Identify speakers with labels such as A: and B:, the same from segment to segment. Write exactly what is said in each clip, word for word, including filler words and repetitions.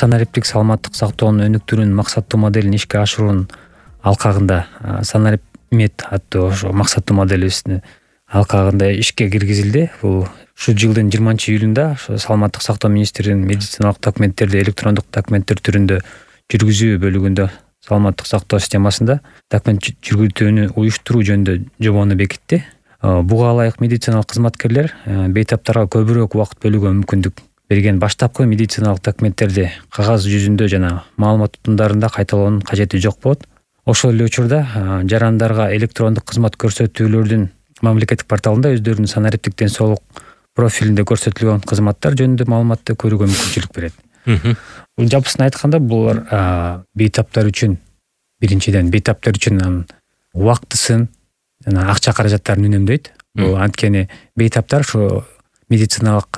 A: санариптик саламаттык сактоонун өнүктүүнүн максаттуу моделин ишке ашыруунун алкагында санарипмед аттуу ошо максаттуу моделибиздин алкагында ишке киргизилди. Бул ушул жылдын жыйырманчы июлунда ошо саламаттык сактоо министринин медициналык документтерди электрондук документтер түрүндө жүргүзүү бөлүгүндө саламаттык сактоо системасында документ жүргүзүүнү уюштуруу жөнүндө жобону бекитти. Буга ылайык медициналык кызматкерлер бейтаптарга көбүрөөк убакыт бөлүүгө мүмкүндүк берген баштапкы медициналык документтерди кагаз жүзүндө жана маалымат утундарында кайталоонун кажети жок болот. Ошол эле учурда жарандарга электрондук кызмат көрсөтүүлөрдүн мамлекеттик порталында өздөрүнүн санариптик ден соолук профилинде көрсөтүлгөн кызматтар жөнүндө маалыматты көрүүгө мүмкүнчүлүк берет. Бул жапысын айтканда булар бейтаптар үчүн биринчиден бейтаптар үчүн убактысын жана акча каражаттарын үнөмдөйт. Бул анткени бейтаптар ошо медициналык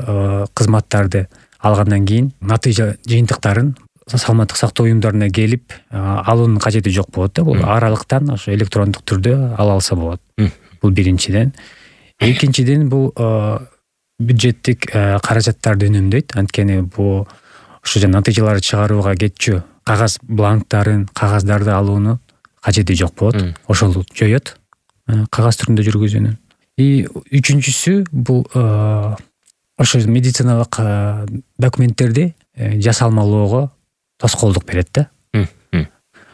A: кызматтарды алгандан кийин натыйжа жыйынтыктарын саламаттык сактоо уюмдарына келип алуунун кажети жок болот да. Бул аралыктан ошо электрондук түрдө ала алса болот. Бул биринчиден. Экинчиден бул бюджеттик каражаттарды үнөмдөйт. Анткени бул ошо жана натыйжаларды чыгарууга кетчү кагаз бланктарын, кагаздарды алууну кажети жок болот. Ошол жоёт кагаз түрүндө жүргүзүүнү. И үчүнчүсү бул ошо медициналык документтерди жасалмалоого тоскоолдук берет да.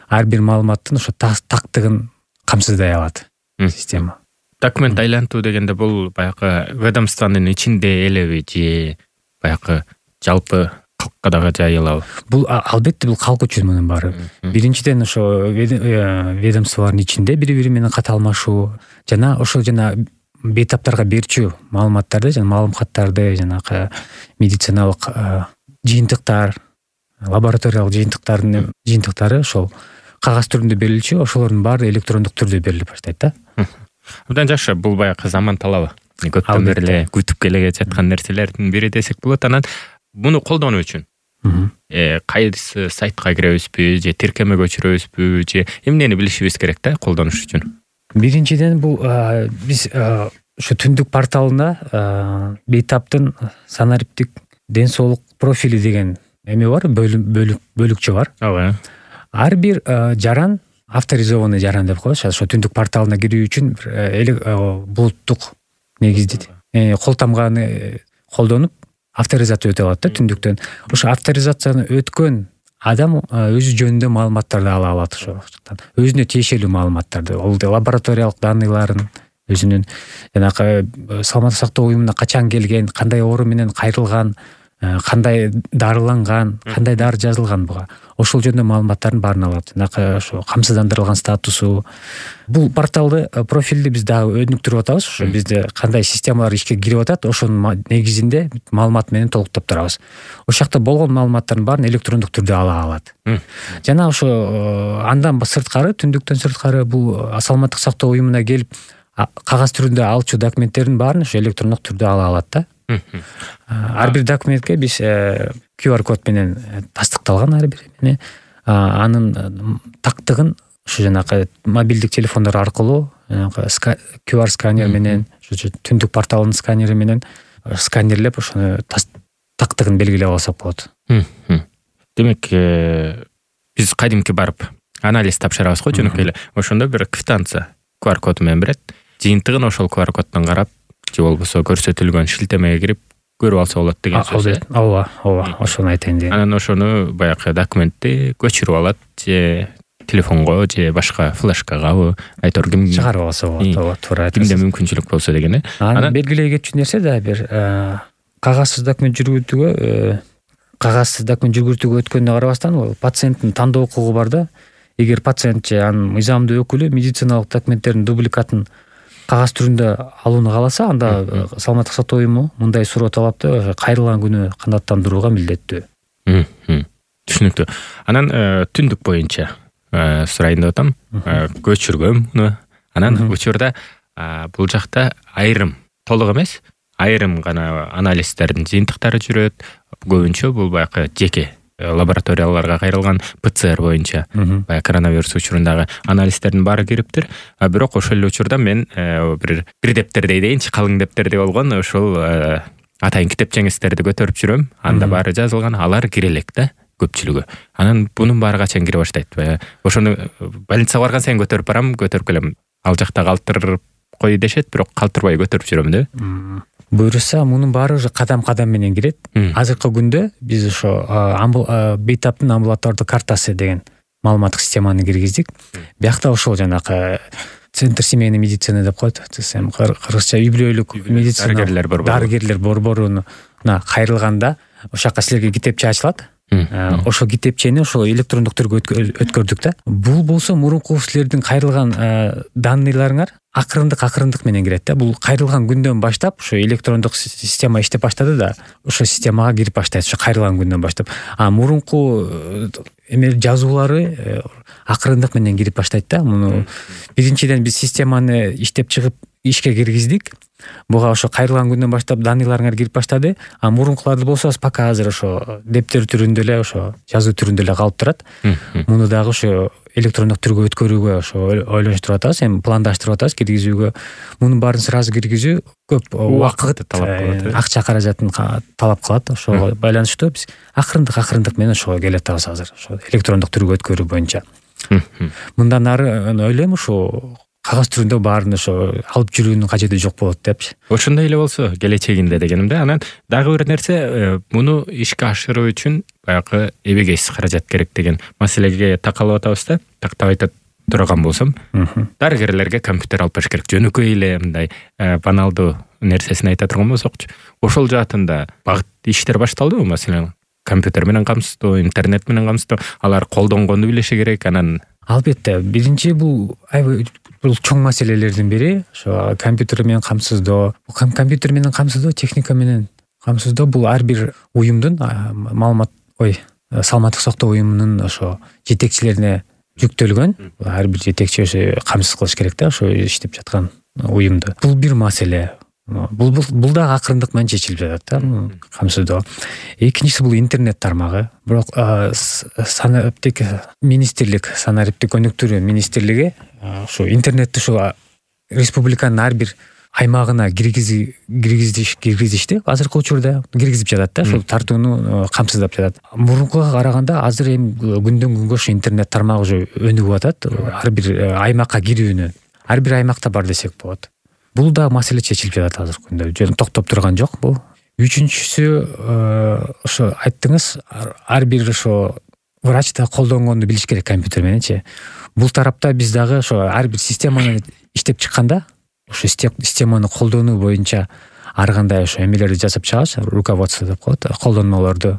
A: Ар бир маалыматтын ошо тактыгын камсыздай алат система.
B: Документ айлантуу дегенде бул баягы ведомствонун ичинде элеби же баягы жалпы калкка дагы жайылабы?
A: Бул албетте бул калк үчүн мунун баары. Биринчиден ошо ведомстволордун ичинде бири-бири менен ката алмашуу жана ошол жана бейтаптарга берчү маалыматтарды жана маалым каттарды жанагы медициналык жыйынтыктар, лабораториялык жыйынтыктардын жыйынтыктары ошол кагаз түрүндө берилчү, ошолордун баары электрондук түрдө берилип баштайт да.
B: Абдан жакшы. Бул баягы заман талабы. Көптөн бери эле күтүп келе жаткан нерселердин бири десек болот. Анан муну колдонуу үчүн э кайсы сайтка киребизби же тиркеме көчүрөбүзбү же эмнени билишибиз керек да колдонуш үчүн?
A: Биринчиден бул биз ошо түндүк порталында бейтаптын санариптик ден соолук профили деген эме бар, бөлүкчө бар.
B: Ооба.
A: Ар бир жаран авторизованный жаран деп коебуз. Ошо түндүк порталына кирүү үчүн булуттук негизде кол тамганы колдонуп авторизация өтө алат да түндүктөн. Ошо авторизацияны өткөн адам өзү жөнүндө маалыматтарды ала алат ошо жактан. Өзүнө тиешелүү маалыматтарды, ол лабораториялык данныйларын, өзүнүн жанагы саламаттык сактоо уюмуна качан келген, кандай оору менен кайрылган, кандай дарыланган, кандай дары жазылган буга. Ошол жөнүндө маалыматтардын баарын алат. Жанагы ошо камсыздандырылган статусу. Бул порталды, профилди биз дагы өнүктүрүп атабыз. Ошо бизде кандай системалар ишке кирип атат, ошонун негизинде маалымат менен толуктап турабыз. Ошол жакта болгон маалыматтардын баарын электрондук түрдө ала алат. Жана ошо андан сырткары, түндүктөн сырткары бул саламаттык сактоо уюмуна келип кагаз түрүндө алчу документтердин баарын ошо электрондук түрдө ала алат да. Ар бир документке биз кью ар код менен тастыкталган ар бир эмне. Анын тактыгын ушу жанагы мобилдик телефондор аркылуу кью ар сканер менен, ушу түндүк порталынын сканери менен сканерлеп ошону тактыгын белгилеп алсак болот.
B: Демек, биз кадимки барып анализ тапшырабыз го жөнөкөй эле. Ошондо бир квитанция кью ар коду менен берет. Жыйынтыгын ошол кью ар коддон карап, же болбосо көрсөтүлгөн шилтемеге кирип көрүп алса болот деген сөз.
A: Ооба, ооба, ошону айтайын дегем.
B: Анан ошону баягы документти көчүрүп алат же телефонго же башка флешкагабы, айтор ким
A: чыгарып алса болот. Ооба, туура айтасыз.
B: Кимде мүмкүнчүлүк болсо деген э.
A: Анан белгилей кетчү нерсе да бир кагазсыз документ жүргүзүүгө, кагазсыз документ жүргүзүүгө өткөнүнө карабастан, ал пациенттин тандоо укугу бар да. Эгер пациент же анын мыйзамдуу өкүлү медициналык документтердин дубликатын кагаз түрүндө алууну кааласа, анда саламаттык сактоо уюму мындай суроо талапты кайрылган күнү кандаттандырууга милдеттүү.
B: Түшүнүктүү. Анан түндүк боюнча сурайын деп атам. Көчүргөм муну. Анан учурда бул жакта айрым, толук эмес, айрым гана анализдердин жыйынтыктары жүрөт. Көбүнчө бул баягы жеке лабораторияларга кайрылган пэ цэ эр боюнча баягы коронавирус учурундагы анализдердин баары кириптир. А бирок ошол эле учурда мен бир бир дептердей дейинчи, калың дептердей болгон ошол атайын китепчеңиздерди көтөрүп жүрөм. Анда баары жазылган, алар кире элек да. көпчүлүгү. Анан бунун баары качан кире баштайт? Ошону больницага барган сайын көтөрүп барам, көтөрүп келем. Ал жакта калтырып кой дешет, бирок калтырбай көтөрүп жүрөм да.
A: Буюрса мунун баары уже кадам-кадам менен кирет. Азыркы күндө биз ошо бейтаптын амбулатордук картасы деген маалыматтык системаны киргиздик. Биякта ошол жанакы Центр семейной медицины деп коет. Кыргызча үй бүлөлүк медицина
B: дарыгерлер борбору.
A: Дарыгерлер борборуна кайрылганда ошол жака силерге китепче ачылат. Ошол китепчени ошол электрондук түргө өткөрдүк да. Бул болсо мурунку силердин кайрылган данныйларыңар акырындык акырындык менен кирет да. Бул кайрылган күндөн баштап ошо электрондук система иштеп баштады да, ошо системага кирип баштайт ошо кайрылган күндөн баштап. А мурунку эме жазуулары акырындык менен кирип баштайт да. Муну биринчиден биз системаны иштеп чыгып ишке киргиздик. Буга ошо кайрылган күндөн баштап данныйларыңар кирип баштады. А мурункуларды болсо пока азыр ошо дептер түрүндө эле, ошо жазуу түрүндө эле калып турат. Муну дагы ошо электрондук түргө өткөрүүгө ошо ойлонуштуруп атабыз, эми пландаштырып атабыз киргизүүгө. Мунун баарын сразу киргизүү көп убакыт талап кылат, акча каражатын талап кылат. Ошого байланыштуу биз акырындык акырындык менен ошого келатабыз азыр, ошо электрондук түргө өткөрүү боюнча. Мындан ары ойлойм ошо кагаз түрүндө баарын ошо алып жүрүүнүн кажети жок болот депчи.
B: Ошондой эле болсо келечегинде дегеним да. Анан дагы бир нерсе, муну ишке ашыруу үчүн баягы эбегейсиз каражат керек деген маселеге такалып атабыз да. Тактап айта турган болсом, дарыгерлерге компьютер алып бериш керек. Жөнөкөй эле мындай баналдуу нерсесин айта турган болсокчу, ошол жаатында багыт иштер башталдыбы? Маселен, компьютер менен камсыздоо, интернет менен камсыздоо, алар колдонгонду билиши керек. Анан
A: албетте биринчи бул бул чоң маселелердин бири ошо компьютер менен камсыздоо. Компьютер менен камсыздоо, техника менен камсыздоо бул ар бир уюмдун маалымат ой саламаттык сактоо уюмунун ошо жетекчилерине жүктөлгөн. Ар бир жетекчи ошо камсыз кылыш керек да ошо иштеп жаткан уюмду. Бул бир маселе. Бул бул дагы акырындык менен чечилип жатат да камсыздоо. Экинчиси бул интернет тармагы. Бирок санариптик министрлик, санариптик өнүктүрүү министрлиги ошо интернетти ошо республиканын ар бир аймагына киргизиш киргизишти. Азыркы учурда киргизип жатат да, ошол тартууну камсыздап жатат. Мурункуга караганда азыр эми күндөн күнгө ошо интернет тармагы уже өнүгүп атат. Ар бир аймакка кирүүнү ар бир аймакта бар десек болот. Бул да маселе чечилип жатат азыркы күндө. Жөн токтоп турган жок бул. Үчүнчүсү ошо айттыңыз, ар бир ошо врач да колдонгонду билиш керек компьютер мененчи. Бул тарапта биз дагы ошо ар бир системаны иштеп чыкканда ошо системаны колдонуу боюнча ар кандай ошо эмелерди жасап чыгабыз, руководство деп коет, колдонмолорду.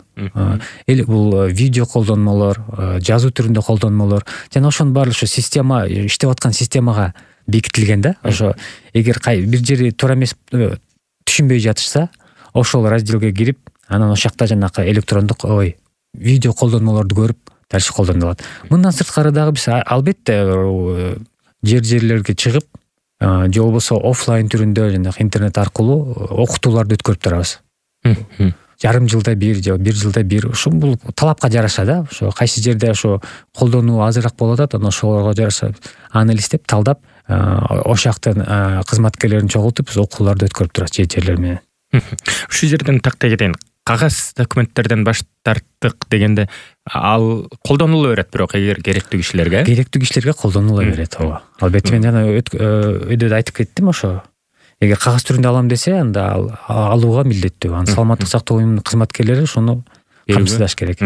A: Эл бул видео колдонмолор, жазуу түрүндө колдонмолор жана ошонун баары ошо система иштеп аткан системага бекитилген да. Ошо эгер бир жери туура эмес түшүнбөй жатышса, ошол разделге кирип, анан ошол жакта жанакы электрондук ой видео колдонмолорду көрүп дальше колдонулат. Мындан сырткары дагы биз албетте жер-жерлерге чыгып, же болбосо офлайн түрүндө жанагы интернет аркылуу окутууларды өткөрүп турабыз. Жарым жылда бир же бир жылда бир. Ошо бул талапка жараша да. Ошо кайсы жерде ошо колдонуу азыраак болуп атат, анан ошолорго жараша анализдеп, талдап, ошол жактан кызматкерлерин чогултуп, биз окууларды өткөрүп турабыз жер-жерлер менен.
B: Ушул жерден тактай кетейин. Кагаз документтерден баш тарттык дегенде ал колдонула берет, бирок эгер керектүү кишилерге
A: керектүү кишилерге колдонула берет. Ооба. Албетте мен жана өйдө айтып кеттим ошо. Эгер кагаз түрүндө алам десе, анда алууга милдеттүү. Аны саламаттык сактоо уюмунун кызматкерлери ошону камсыздаш керек.